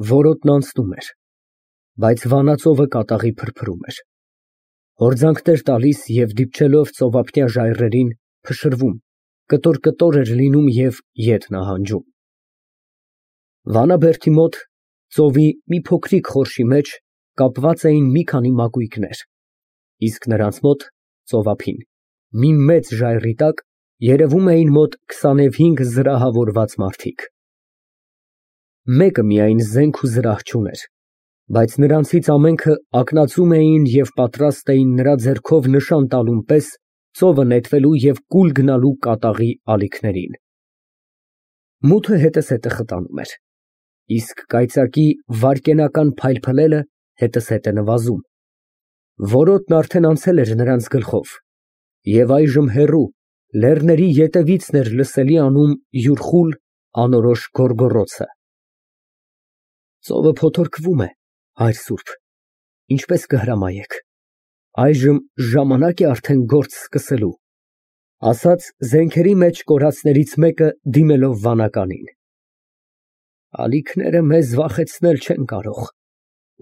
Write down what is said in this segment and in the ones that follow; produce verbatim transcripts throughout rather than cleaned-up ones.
Որոտն անցնում էր, բայց վանածովը կատաղի փրփրում էր, հորձանքներ տալիս և դիպչելով ծովափնյա ժայռերին, փշրվում, կտոր֊կտոր էր լինում և ետ նահանջում։ Վանաբերդի մոտ, ծովի մի փոքրիկ խորշի մեջ, կապված էին մի քանի մակույկներ, իսկ նրանց մոտ, ծովափին, մի մեծ ժայռի տակ, երևում էին մոտ քսանուհինգ զրահավորված մարդիկ։ Մեկը միայն զենք ու զրահ չուներ, բայց նրանցից ամենքը ակնածում էին և պատրաստ էին նրա ձեռքով նշան տալուն պես ծովը նետվելու և կուլ գնալու կատաղի ալիքներին։ Մութը հետզհետե խտանում էր, իսկ կայծակի վայրկենական փայլփլելը հետզհետե նվազում, որոտն արդեն անցել էր նրանց գլխով, և այժմ հեռու, լեռների ետևիցն էր լսելի անում յուր խուլ, անորոշ գոռգոռոցը։ Ծովը փոթորկվում է, հայր սուրբ, ինչպե՞ս կհրամայեք, այժմ ժամանակ է արդեն գործ սկսելու, ֊ ասաց զենքերի մեջ կորածներից մեկը, դիմելով վանականին։ Ալիքները մեզ վախեցնել չեն կարող,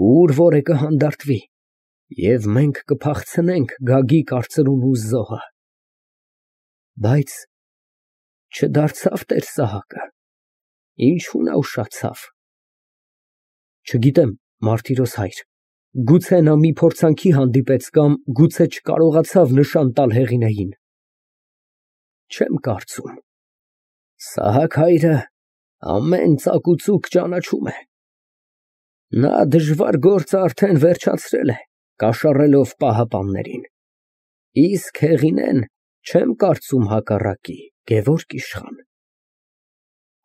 ուր որ է կհանդարտվի, և մենք կփախցնենք Գագիկ արծրուն ու զոհը։ Բայց չդարձավ տեր֊Սահակը, ինչու նա ուշացավ։ Չգիտեմ, Մարտիրոս հայր, գուցե նա մի փորձանքի հանդիպեց կամ գուցե չկարողացավ նշան տալ Հեղինեին։ Չեմ կարծում։ Սահակ հայրը ամեն ծակուծուկ ճանաչում է։ Նա դժվար գործը արդեն վերջացրել է, կաշառելով պահապաններին, իսկ Հեղինեն չեմ կարծում հակառակի, գևորգ իշխան։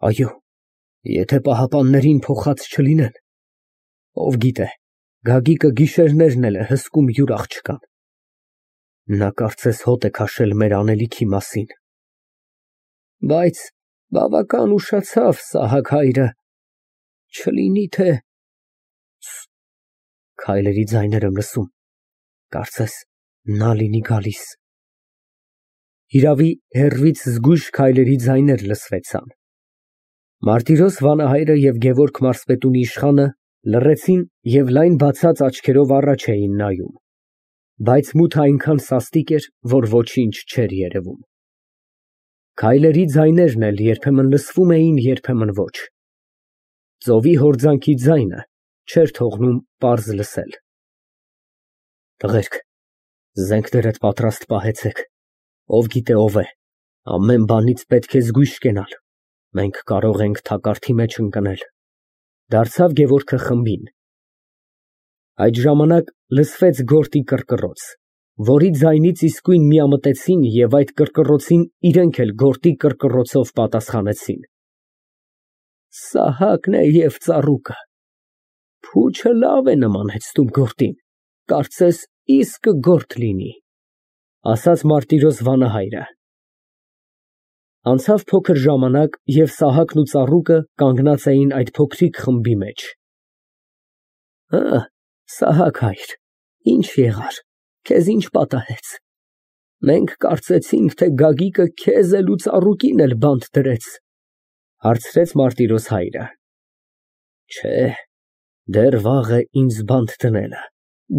Այո, եթե պահապաններին փոխած չլինեն, ով գիտե, Գագիկը գիշերներն էլ է հսկում յուր աղջկան։ Նա կարծես հոտ է քաշել մեր անելիքի մասին։ Բայց բավական ուշացավ Սահակ հայրը, չլինի թե… Քայլերի ձայներ եմ լսում, կարծես նա լինի գալիս։ Հիրավի, հեռվից զգույշ քայլերի ձայներ լսվեցան։ Մարտիրոս վանահայրը և Գևորգ մարզպետունի իշխանը լռեցին և լայն բացած աչքերով առաջ էին նայում, բայց մութը այնքան սաստիկ էր, որ ոչինչ չէր երևում։ Քայլերի ձայներն էլ երբեմն լսվում էին, երբեմն ոչ։ Ծովի հորձանքի ձայնը չէր թողնում պարզ լսել։ Տղերք, զենքներդ պատրաստ պահեցեք, ով գիտե ով է, ամեն բանից պետք է զգույշ կենալ, մենք կարող ենք թակարդի մեջ ընկնել, ֊ դարձավ Գևորգը խմբին։ Այդ ժամանակ լսվեց գորտի կռկռոց, որի ձայնից իսկույն միամտեցին և այդ կռկռոցին իրենք էլ գորտի կռկռոցով պատասխանեցին։ Սահակն է և ծառուկը, փուչը լավ է նմանեցնում գորտին, կարծես իսկը գորտ լինի, ֊ ասաց Մարտիրոս վանահայրը։ Անցավ փոքր ժամանակ, և Սահակն ու ծառուկը կանգնած էին այդ փոքրիկ խմբի մեջ։ Հը, Սահակ հայր, ի՞նչ եղար, քեզ ի՞նչ պատահեց։ Մենք կարծեցինք, թե Գագիկը քեզ էլ ու ծառուկին էլ բանտ դրեց, ֊ հարցրեց Մարտիրոս հայրը։ Չէ, դեռ վաղ է ինձ բանտ դնելը,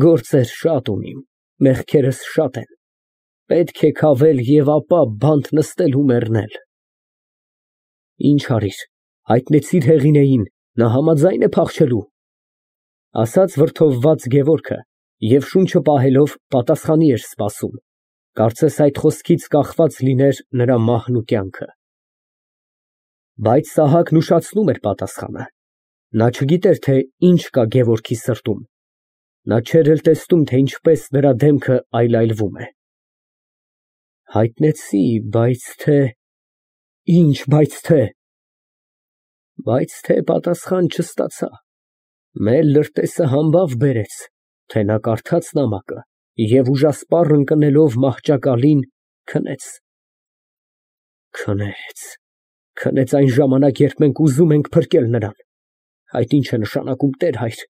գործեր շատ ունիմ, մեղքերս շատ են, պետք է քավել և ապա բանտ նստել ու մեռնել։ Ինչ արիր, հայտնեցի՞ր Հեղինեին, նա համաձա՞յն է փախչելու, ֊ ասաց վրդովված Գևորգը և շունչը պահելով պատասխանի էր սպասում, կարծես այդ խոսքից կախված լիներ նրա մահն ու կյանքը։ Բայց Սահակն ուշացնում էր պատասխանը, նա չգիտեր, թե ինչ կա Գևորգի սրտում, նա չէր էլ տեսնում, թե ինչպես նրա դեմքը այլայլվում է։ Հայտնեցի, բայց թե… Ինչ բայց թե… Բայց թե պատասխան չստացա, մեր լրտեսը համբավ բերեց, թե նա կարդաց նամակը և ուժասպառ ընկնելով մահճակալին, քնեց։ Քնեց, քնեց այն ժամանակ, երբ մենք ուզում ենք փրկել նրան, այդ ի՞նչ է նշանակում, տեր հայր,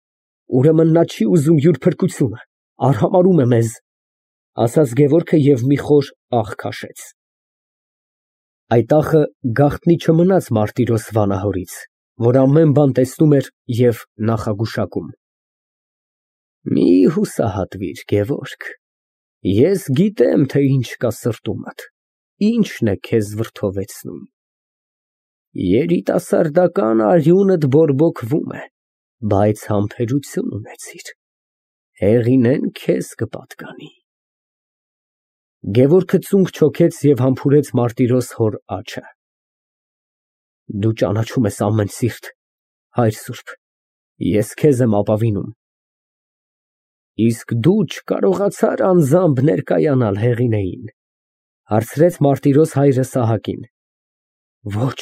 ուրեմն նա չի ուզում յուր փրկությունը, արհամարհում է մեզ, ֊ ասաց Գևորգը և մի խոր ախ քաշեց։ Այդ ախը գաղտնի չմնաց Մարտիրոս վանահորից, որ ամեն բան տեսնում էր և նախագուշակում։ Մի հուսահատվիր, Գևորգ, ես գիտեմ, թե ինչ կա սրտումդ, ինչն է քեզ վրդովեցնում։ Երիտասարդական արյունդ բորբոքվում է, բայց համբերություն ունեցիր, Հեղինեն քեզ կպատկանի։ Գևորգը ծունկ չոքեց և համբուրեց Մարտիրոս հոր աջը։ Դու ճանաչում ես ամեն սիրտ, հայր սուրբ, ես քեզ եմ ապավինում։ Իսկ դու չկարողացար անձամբ ներկայանալ Հեղինեին, հարցրեց Մարտիրոս հայրը Սահակին։ Ոչ,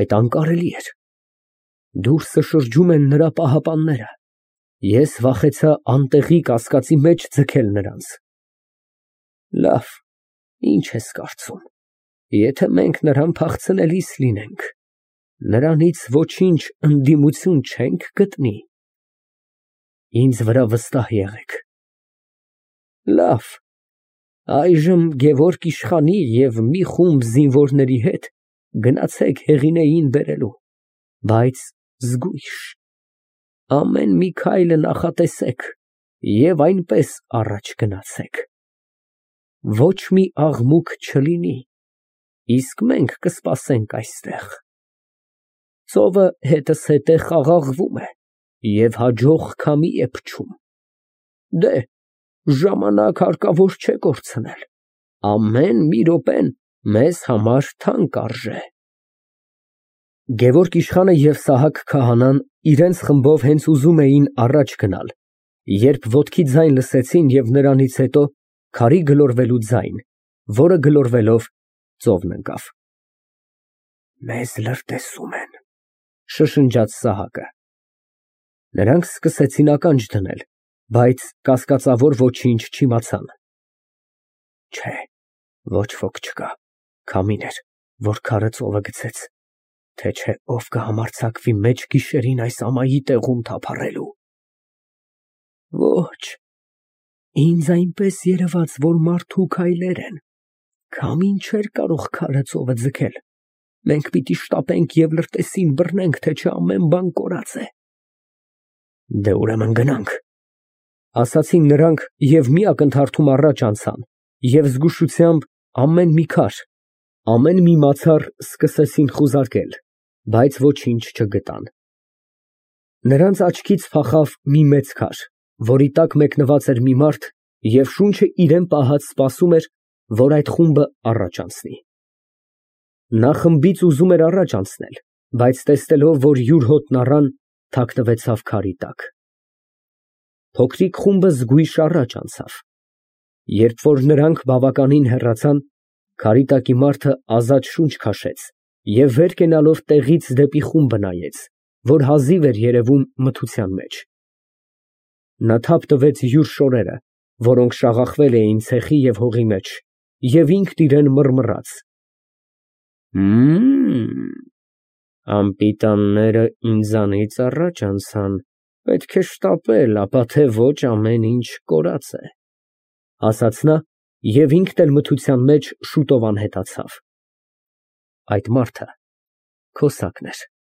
այդ անկարելի էր։ Դուրսը շրջում են նրա պահապանները, ես վախեցա անտեղի կասկածի մեջ ձգել նրանց։ Լավ, ինչ ես կարծում, եթե մենք նրան փախցնելիս լինենք, նրանից ոչինչ ընդդիմություն չենք գտնի։ Ինձ վրա վստահ եղեք։ Լավ, այժմ Գևորգ իշխանի և մի խումբ զինվորների հետ գնացեք Հեղինեին բերելու, բայց զգույշ, ամեն մի քայլը նախատեսեք և այնպես առաջ գնացեք։ Ոչ մի աղմուկ չլինի, իսկ մենք կսպասենք այստեղ։ Ծովը հետզհետե խաղաղվում է և հաջող քամի է փչում։ Դե, ժամանակ հարկավոր չէ կորցնել, ամեն մի րոպեն մեզ համար թանկ արժե։ Գևորգ իշխանը և Սահակ քահանան իրենց խմբով հենց ուզում էին առաջ գնալ, երբ ոտքի ձայն լսեցին և նրանից հետո քարի գլորվելու ձայն, որը գլորվելով ծովն ընկավ։ Մեզ լրտեսում են, շշնջաց Սահակը։ Նրանք սկսեցին ականջ դնել, բայց կասկածավոր ոչինչ չիմացան։ Չէ, ոչ ոք չկա, քամին էր, որ քարը ծովը գցեց, թե չէ ով կհամարձակվի մեծ գիշերին այս ամայի տեղում թափառելու։ Ոչ, ինձ այնպես երևաց, որ մարդու քայլեր են, քամին չէր կարող քարը ծովը ձգել, մենք պիտի շտապենք և լրտեսին բռնենք, թե չէ ամեն բան կորած է։ Դե ուրեմն գնանք, ասացին նրանք և մի ակնթարթում առաջ անցան և զգուշությամբ ամեն մի քար, ամեն մի մացառ սկսեցին խուզարկել, բայց ոչինչ չգտան։ Նրանց աչքից փախավ մի մեծ քար, որի տակ մեկնված էր մի մարդ և շունչը իրան պահած սպասում էր, որ այդ խումբը առաջ անցնի։ Նա խմբից ուզում էր առաջ անցնել, բայց տեսնելով, որ յուր հոտն առան, թաքնվեցավ քարի տակ։ Փոքրիկ խումբը զգույշ առաջ անցավ։ Երբ որ նրանք բավականին հեռացան, քարի տակի մարդը ազատ շունչ քաշեց և վեր կենալով տեղից դեպի խումբը նայեց, որ հազիվ էր երևում մթության մեջ։ Նա թափ տվեց յուր շորերը, որոնք շաղախվել էին ցեխի և հողի մեջ, և ինքն իրան մռմռաց. Մմ, անպիտանները ինձանից առաջ անցան, պետք է շտապել, ապա թե ոչ ամեն ինչ կորած է, ասաց նա և ինքն էլ մթության մեջ շուտով անհետացավ։ Այդ մարդը քոսակն էր։